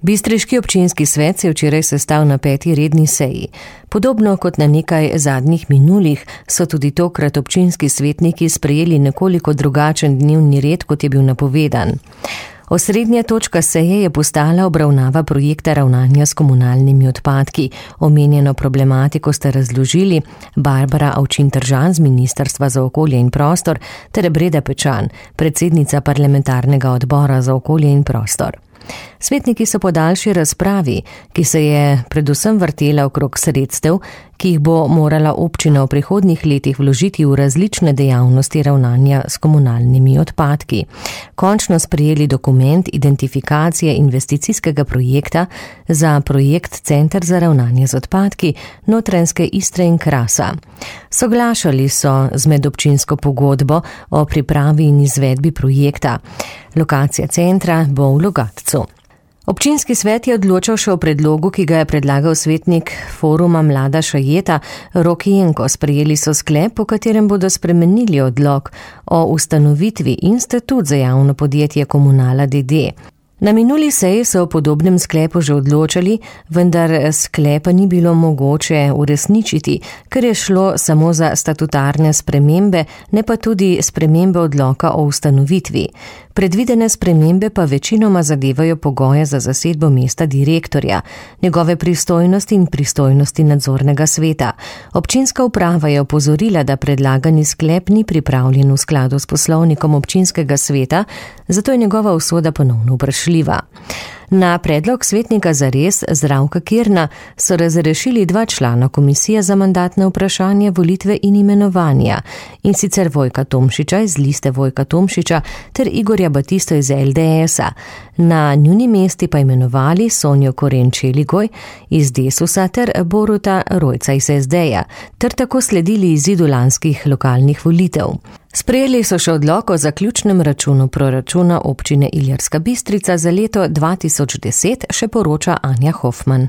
Bistriški občinski svet se je včeraj sestal na 5. redni seji. Podobno kot na nekaj zadnjih minulih so tudi tokrat občinski svetniki sprejeli nekoliko drugačen dnevni red, kot je bil napovedan. Osrednja točka seje je postala obravnava projekta ravnanja s komunalnimi odpadki. Omenjeno problematiko sta razložili Barbara Avčin-Tržan z Ministrstva za okolje in prostor ter Breda Pečan, predsednica parlamentarnega odbora za okolje in prostor. Svetniki so po daljši razpravi, ki se je predvsem vrtela okrog sredstev, ki jih bo morala občina v prihodnjih letih vložiti v različne dejavnosti ravnanja s komunalnimi odpadki, končno sprejeli dokument identifikacije investicijskega projekta za projekt Center za ravnanje z odpadki Notranjske Istre in Krasa. Soglašali so z medobčinsko pogodbo o pripravi in izvedbi projekta. Lokacija centra bo v Logatcu. Občinski svet je odločal še o predlogu, ki ga je predlagal svetnik foruma Mlada Šajeta Rok Jenko. Sprejeli so sklep, po katerem bodo spremenili odlok o ustanovitvi in statut za javno podjetje Komunala d.d. Na minuli seji so o podobnem sklepu že odločali, vendar sklepa ni bilo mogoče uresničiti, ker je šlo samo za statutarne spremembe, ne pa tudi spremembe odloka o ustanovitvi. Predvidene spremembe pa večinoma zadevajo pogoje za zasedbo mesta direktorja, njegove pristojnosti in pristojnosti nadzornega sveta. Občinska uprava je opozorila, da predlagani sklep ni pripravljen v skladu s poslovnikom občinskega sveta, zato je njegova usoda ponovno vprašljiva. Na predlog svetnika Zares Zdravka Kirna so razrešili 2 člana komisije za mandatne vprašanja, volitve in imenovanja, in sicer Vojka Tomšiča iz liste Vojka Tomšiča ter Igorja Batisto iz LDS-a. Na njuni mesti pa imenovali Sonjo Koren-Čeligoj iz Desusa ter Boruta Rojca iz SD-ja, ter tako sledili izidu lanskih lokalnih volitev. Sprejeli so še odlok o zaključnem računu proračuna občine Ilirska Bistrica za leto 2010, še poroča Anja Hofman.